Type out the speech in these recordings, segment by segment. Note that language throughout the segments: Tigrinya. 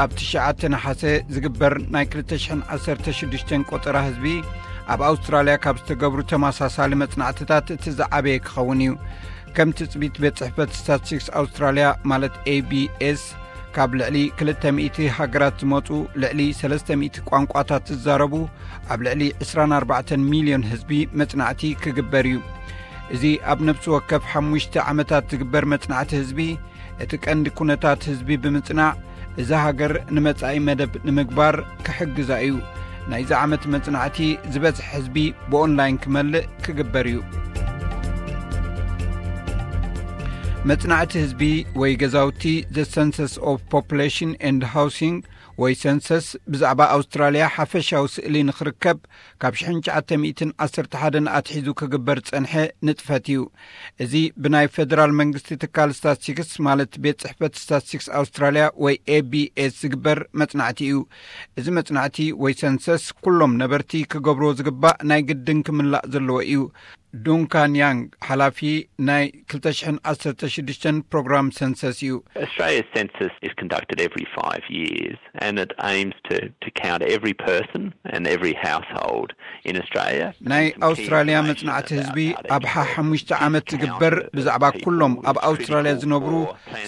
ኣብ ትሽዓተ ነሓሰ ዝግበር ናይ ክልተ ሽሕን ዓሰርተ ሽዱሽተን ቆጸራ ህዝቢ ኣብ ኣውስትራልያ ካብ ዝተገብሩ ተመሳሳሊ መጽናዕትታት እቲ ዝዓበየ ክኸውን እዩ። ከም ትጽቢት ቤት ጽሕፈት ስታትስቲክስ ኣውስትራልያ ማለት ኤ ቢ ኤስ፣ ካብ ልዕሊ ክልተ ሚእቲ ሃገራት ዝመጹ ልዕሊ ሰለስተ ሚእቲ ቋንቋታት ዝዛረቡ ኣብ ልዕሊ ዕስራን ኣርባዕተን ሚልዮን ህዝቢ መጽናዕቲ ክግበር እዩ። እዚ ኣብ ነፍሲ ወከፍ ሓሙሽተ ዓመታት ዝግበር መጽናዕቲ ህዝቢ፣ እቲ ቀንዲ ኩነታት ህዝቢ ብምጽናዕ፣ እዛ ሃገር ንመጻኢ መደብ ንምግባር ክሕግዛ እዩ። ናይዚ ዓመት መጽናዕቲ ዝበዝሕ ህዝቢ ብኦንላይን ክመልእ ክግበር እዩ። መጽናዕቲ ህዝቢ ወይ ገዛውቲ፣ The Census of Population and Housing ወይ ሰንሰስ፣ ብዛዕባ ኣውስትራልያ ሓፈሻዊ ስእሊ ንኽርከብ ካብ ሽሕን ትሽዓተ ሚእትን ዓሰርተ ሓደን ኣትሒዙ ክግበር ዝጸንሐ ንጥፈት እዩ። እዚ ብናይ ፌደራል መንግስቲ ትካል ስታትስቲክስ ማለት ቤት ጽሕፈት ስታትስቲክስ ኣውስትራልያ ወይ ኤ ቢ ኤስ ዝግበር መጽናዕቲ እዩ። እዚ መጽናዕቲ ወይ ሰንሰስ ኩሎም ነበርቲ ክገብርዎ ዝግባእ ናይ ግድን ክምላእ ዘለዎ እዩ። ዱንካን ያንግ፣ ሓላፊ ናይ ክልተ ሽሕን ዓሰርተ ሽዱሽተን ፕሮግራም ሰንሰስ እዩ። Australia's census is conducted every five years and it aims to, to count every person and every household in Australia. ናይ ኣውስትራልያ መጽናዕቲ ህዝቢ ኣብ ሓሙሽተ ዓመት ዝግበር ብዛዕባ ኩሎም ኣብ ኣውስትራልያ ዝነብሩ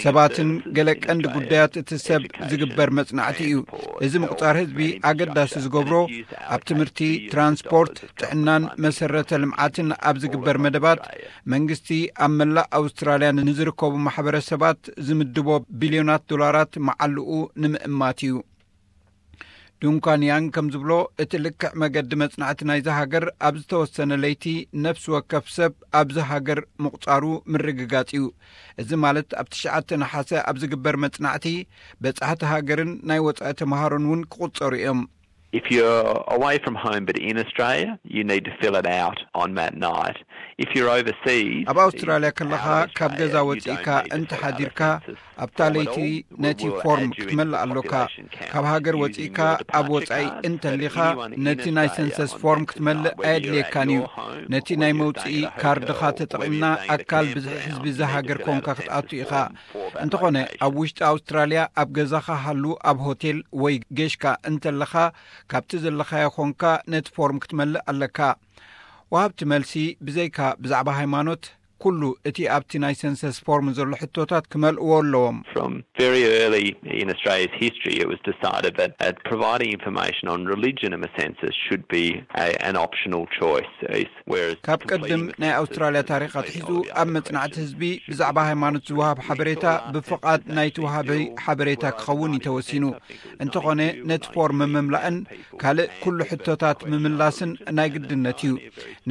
ሰባትን ገለ ቀንዲ ጉዳያት እቲ ሰብ ዝግበር መጽናዕቲ እዩ። እዚ ምቁጻር ህዝቢ ኣገዳሲ ዝገብሮ ኣብ ትምህርቲ፣ ትራንስፖርት፣ ጥዕናን መሰረተ ልምዓትን ኣብ ዝግበር መደባት መንግስቲ ኣብ መላእ ኣውስትራልያ ንዝርከቡ ማሕበረሰባት ዝምድቦ ቢልዮናት ዶላራት መዓልኡ ንምእማት እዩ። ዱንካን ያንግ ከም ዝብሎ፣ እቲ ልክዕ መገዲ መጽናዕቲ ናይዚ ሃገር ኣብ ዝተወሰነ ለይቲ ነፍሲ ወከፍ ሰብ ኣብዚ ሃገር ምቑጻሩ ምርግጋጽ እዩ። እዚ ማለት ኣብ ትሽዓተ ነሓሰ ኣብ ዝግበር መጽናዕቲ በጻሕቲ ሃገርን ናይ ወጻኢ ተምሃሮን እውን ክቑጸሩ እዮም። If you're away from home but in Australia, you need to fill it out on that night. If you're overseas, ኣብ ኣውስትራልያ ከለኻ ካብ ገዛ ወጺእካ እንተ ሓዲርካ ኣብታ ለይቲ ነቲ ፎርም ክትመልእ ኣሎካ። ካብ ሃገር ወጺእካ ኣብ ወጻኢ እንተሊኻ ነቲ ናይ ሰንሰስ ፎርም ክትመልእ ኣየድልየካን እዩ። ነቲ ናይ መውጽኢ ካርድኻ ተጠቒምና ኣካል ብዝሒ ህዝቢ እዛ ሃገር ኮንካ ክትኣቱ ኢኻ። እንተኾነ ኣብ ውሽጢ ኣውስትራልያ ኣብ ገዛኻ ሃሉ፣ ኣብ ሆቴል ወይ ጌሽካ እንተለኻ ካብቲ ዘለኻዮ ኮንካ ነቲ ፎርም ክትመልእ ኣለካ። ወሃብቲ መልሲ ብዘይካ ብዛዕባ ሃይማኖት፣ ኩሉ እቲ ኣብቲ ናይ ሰንሰስ ፎርም ዘሎ ሕቶታት ክመልእዎ ኣለዎም። From very early in Australia's history, it was decided that uh, providing information on religion in the census should be a, an optional choice. Whereas ካብ ቅድም ናይ ኣውስትራልያ ታሪኽ ኣትሒዙ ኣብ መጽናዕቲ ህዝቢ ብዛዕባ ሃይማኖት ዝወሃብ ሓበሬታ ብፍቓድ ናይቲ ወሃቢ ሓበሬታ ክኸውን እዩ ተወሲኑ። እንተኾነ ነቲ ፎርም ምምላእን ካልእ ኩሉ ሕቶታት ምምላስን ናይ ግድነት እዩ።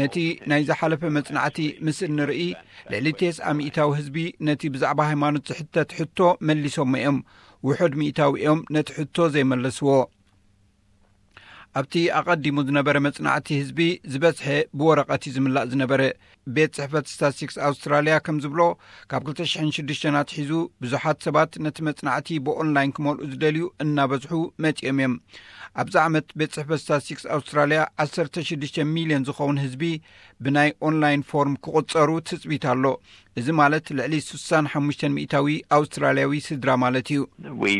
ነቲ ናይ ዝሓለፈ መጽናዕቲ ምስ እንርኢ፣ ልዕሊ ተስዓ ሚእታዊ ህዝቢ ነቲ ብዛዕባ ሃይማኖት ዝሕተት ሕቶ መሊሶሞ እዮም። ውሑድ ሚእታዊ እዮም ነቲ ሕቶ ዘይመለስዎ። ኣብቲ ኣቐዲሙ ዝነበረ መጽናዕቲ ህዝቢ ዝበዝሐ ብወረቐት እዩ ዝምላእ ዝነበረ። ቤት ጽሕፈት ስታትስቲክስ ኣውስትራልያ ከም ዝብሎ፣ ካብ ክልተ ሽሕን ሽዱሽተን ኣትሒዙ ብዙሓት ሰባት ነቲ መጽናዕቲ ብኦንላይን ክመልኡ ዝደልዩ እናበዝሑ መጺኦም እዮም። ኣብዚ ዓመት ቤት ጽሕፈት ስታትስቲክስ ኣውስትራልያ ዓሰርተ ሽዱሽተ ሚልዮን ዝኸውን ህዝቢ ብናይ ኦንላይን ፎርም ክቑጸሩ ትጽቢት ኣሎ። እዚ ማለት ልዕሊ ስሳን ሓሙሽተን ሚእታዊ ኣውስትራልያዊ ስድራ ማለት እዩ። We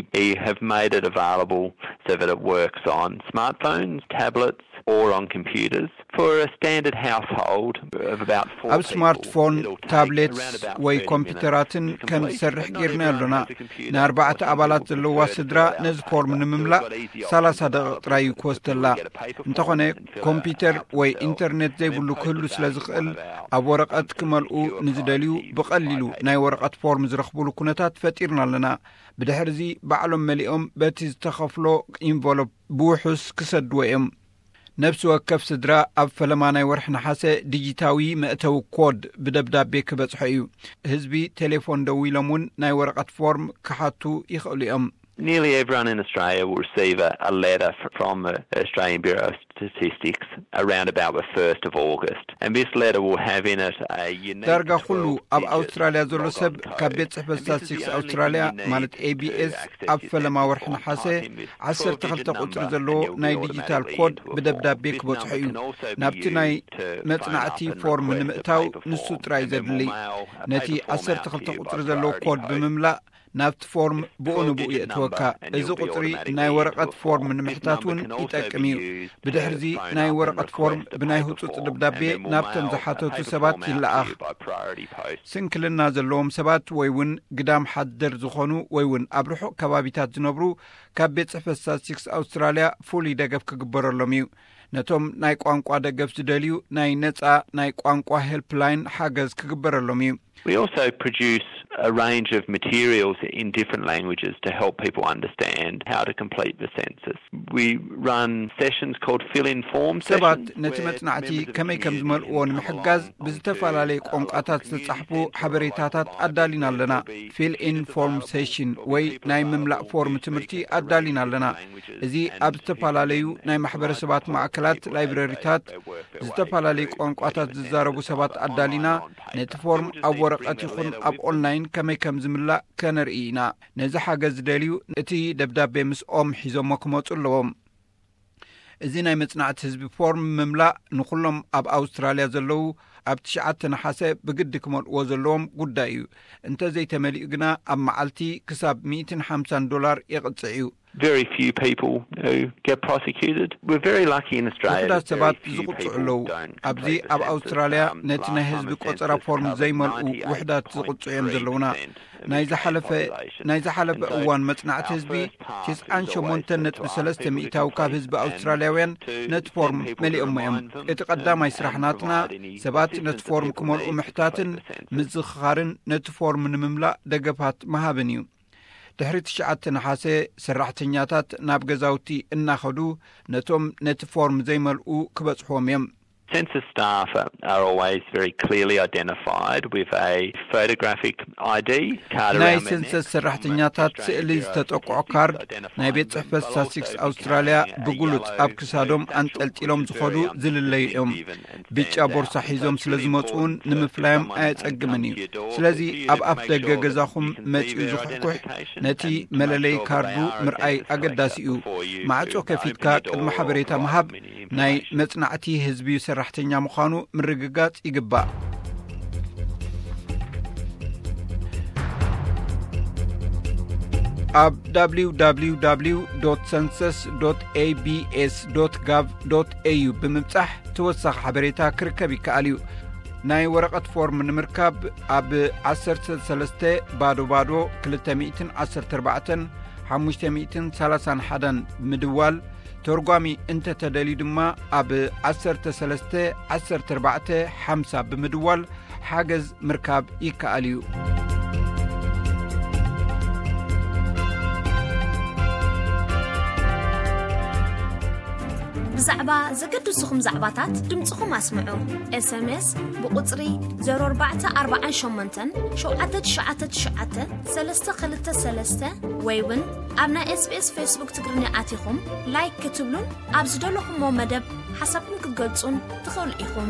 have made it available so that it works on smartphones, tablets, or on computers. For a standard household of about four ኣብ ስማርትፎን፣ ታብሌትስ ወይ ኮምፒውተራትን ከም ዝሰርሕ ጌርና ኣሎና። ንኣርባዕተ ኣባላት ዘለዋ ስድራ ነዚ ፎርም ንምምላእ ሰላሳ ደቂቕ ጥራይ እዩ ክወስደላ። እንተኾነ ኮምፒውተር ወይ ኢንተርኔት ዘይብሉ ክህሉ ስለ ዝኽእል፣ ኣብ ወረቐት ክመልኡ ንዝደልዩ ብቐሊሉ ናይ ወረቐት ፎርም ዝረኽቡሉ ኩነታት ፈጢርና ኣለና። ብድሕርዚ ባዕሎም መሊኦም በቲ ዝተኸፍሎ ኢንቨሎፕ ብውሑስ ክሰድዎ እዮም። ነፍሲ ወከፍ ስድራ ኣብ ፈለማ ናይ ወርሒ ነሓሰ ዲጂታዊ መእተዊ ኮድ ብደብዳቤ ክበጽሖ እዩ። ህዝቢ ቴሌፎን ደዊሎም እውን ናይ ወረቐት ፎርም ክሓቱ ይኽእሉ እዮም። Nearly everyone in Australia will receive a, a letter f- from the Australian Bureau of Statistics around about the first of August. And this letter will have in it a unique ዳርጋ ኩሉ ኣብ ኣውስትራልያ ዘሎ ሰብ ካብ ቤት ጽሕፈት ስታትስቲክስ ኣውስትራልያ ማለት ኤ ቢ ኤስ ኣብ ፈለማ ወርሒ ነሓሰ ዓሰርተ ክልተ ቁጽሪ ዘለዎ ናይ ዲጂታል ኮድ ብደብዳቤ ክበጽሖ እዩ። ናብቲ ናይ መጽናዕቲ ፎርም ንምእታው ንሱ ጥራይ ዘድሊ። ነቲ ዓሰርተ ክልተ ቁጽሪ ዘለዎ ኮድ ብምምላእ ናብቲ ፎርም ብኡ ንብኡ የእትወካ። እዚ ቁጽሪ ናይ ወረቐት ፎርም ንምሕታት እውን ይጠቅም እዩ። ብድሕርዚ ናይ ወረቐት ፎርም ብናይ ህጹጽ ደብዳቤ ናብቶም ዝሓተቱ ሰባት ይለኣኽ። ስንክልና ዘለዎም ሰባት ወይ እውን ግዳም ሓደር ዝኾኑ ወይ እውን ኣብ ርሑቕ ከባቢታት ዝነብሩ፣ ካብ ቤት ጽሕፈት ስታትስቲክስ ኣውስትራልያ ፍሉይ ደገፍ ክግበረሎም እዩ። ነቶም ናይ ቋንቋ ደገፍ ዝደልዩ፣ ናይ ነጻ ናይ ቋንቋ ሄልፕላይን ሓገዝ ክግበረሎም እዩ። We also produce a range of materials in different languages to help people understand how to complete the census. We run sessions called fill-in form sessions. ሰባት ነቲ መጽናዕቲ ከመይ ከም ዝመልእዎ ንምሕጋዝ ብዝተፈላለየ ቋንቋታት ዝተጻሕፉ ሓበሬታታት ኣዳሊና ኣለና። ፊል ኢን ፎርም ሴሽን ወይ ናይ ምምላእ ፎርም ትምህርቲ ኣዳሊና ኣለና። እዚ ኣብ ዝተፈላለዩ ናይ ማሕበረሰባት ማዕከላት፣ ላይብረሪታት፣ ዝተፈላለዩ ቋንቋታት ዝዛረቡ ሰባት ኣዳሊና፣ ነቲ ፎርም ኣብ ወረቐት ይኹን ኣብ ኦንላይን ከመይ ከም ዝምላእ ከነርኢ ኢና። ነዚ ሓገዝ ዝደልዩ፣ እቲ ደብዳቤ ምስኦም ሒዞሞ ክመጹ ኣለዎም። እዚ ናይ መጽናዕቲ ህዝቢ ፎርም ምምላእ ንኹሎም ኣብ ኣውስትራልያ ዘለዉ ኣብ ትሽዓተ ነሓሰ ብግዲ ክመልእዎ ዘለዎም ጉዳይ እዩ። እንተ ዘይተመሊኡ ግና ኣብ መዓልቲ ክሳብ ሚእትን ሓምሳን ዶላር የቕጽዕ እዩ። Very few people who get prosecuted. We're very lucky in Australia. ውሑዳት ሰባት ዝቕጽዑ ኣለዉ። ኣብዚ ኣብ ኣውስትራልያ ነቲ ናይ ህዝቢ ቆጸራ ፎርም ዘይመልኡ ውሕዳት ዝቕጽዑ እዮም ዘለዉና። ናይ ዝሓለፈ ናይ ዝሓለፈ እዋን መጽናዕቲ ህዝቢ፣ ትስዓን ሸሞንተን ነጥቢ ሰለስተ ሚእታዊ ካብ ህዝቢ ኣውስትራልያውያን ነቲ ፎርም መሊኦሞ እዮም። እቲ ቀዳማይ ስራሕ ናትና፣ ሰባት ነቲ ፎርም ክመልኡ ምሕታትን ምዝኽኻርን ነቲ ፎርም ንምምላእ ደገፋት ምሃብን እዩ። ድሕሪ ትሽዓተ ነሓሰ፣ ሰራሕተኛታት ናብ ገዛውቲ እናኸዱ ነቶም ነቲ ፎርም ዘይመልኡ ክበጽሕዎም እዮም። Census staff are always very clearly identified with a photographic I D card. ናይ ሰንሰስ ሰራሕተኛታት ስእሊ ዝተጠቅዖ ካርድ፣ ናይ ቤት ጽሕፈት ስታትስቲክስ ኣውስትራልያ ብግሉጽ ኣብ ክሳዶም ኣንጠልጢሎም ዝኸዱ ዝልለዩ እዮም። ብጫ ቦርሳ ሒዞም ስለ ዝመጹ እውን ንምፍላዮም ኣየጸግምን እዩ። ስለዚ ኣብ ኣፍ ደገ ገዛኹም መጺኡ ዝኹሕኩሕ ነቲ መለለይ ካርዱ ምርኣይ ኣገዳሲ እዩ። ማዕጾ ከፊትካ ቅድሚ ሓበሬታ ምሃብ፣ ናይ መጽናዕቲ ህዝቢ ሰራሕተኛ ምዃኑ ምርግጋጽ ይግባእ። ኣብ www.census.abs.gov.au ብምብጻሕ ተወሳኺ ሓበሬታ ክርከብ ይከኣል እዩ። ናይ ወረቐት ፎርም ንምርካብ ኣብ ዓሰርተ ሰለስተ ባዶ ባዶ ክልተ ሚእትን ዓሰርተ ኣርባዕተን ሓሙሽተ ሚእትን ሰላሳን ሓደን ብምድዋል፣ ተርጓሚ እንተተደልዩ ድማ ኣብ ዓሰርተ ሰለስተ ዓሰርተ ኣርባዕተ ሓምሳ ብምድዋል ሓገዝ ምርካብ ይከኣል እዩ። ብዛዕባ ዘገድሱኹም ዛዕባታት ድምፅኹም ኣስምዑ። ኤስኤምኤስ ብቁፅሪ ዜሮ ኣርባዕተ ኣርባዓን ሸሞንተን ሸውዓተ ትሽዓተ ትሽዓተ ሰለስተ ክልተ ሰለስተ ወይ እውን ኣብ ናይ ኤስቢኤስ ፌስቡክ ትግርኛ ኣቲኹም ላይክ ክትብሉን ኣብ ዝደለኹምዎ መደብ ሓሳብኩም ክትገልጹን ትኽእሉ ኢኹም።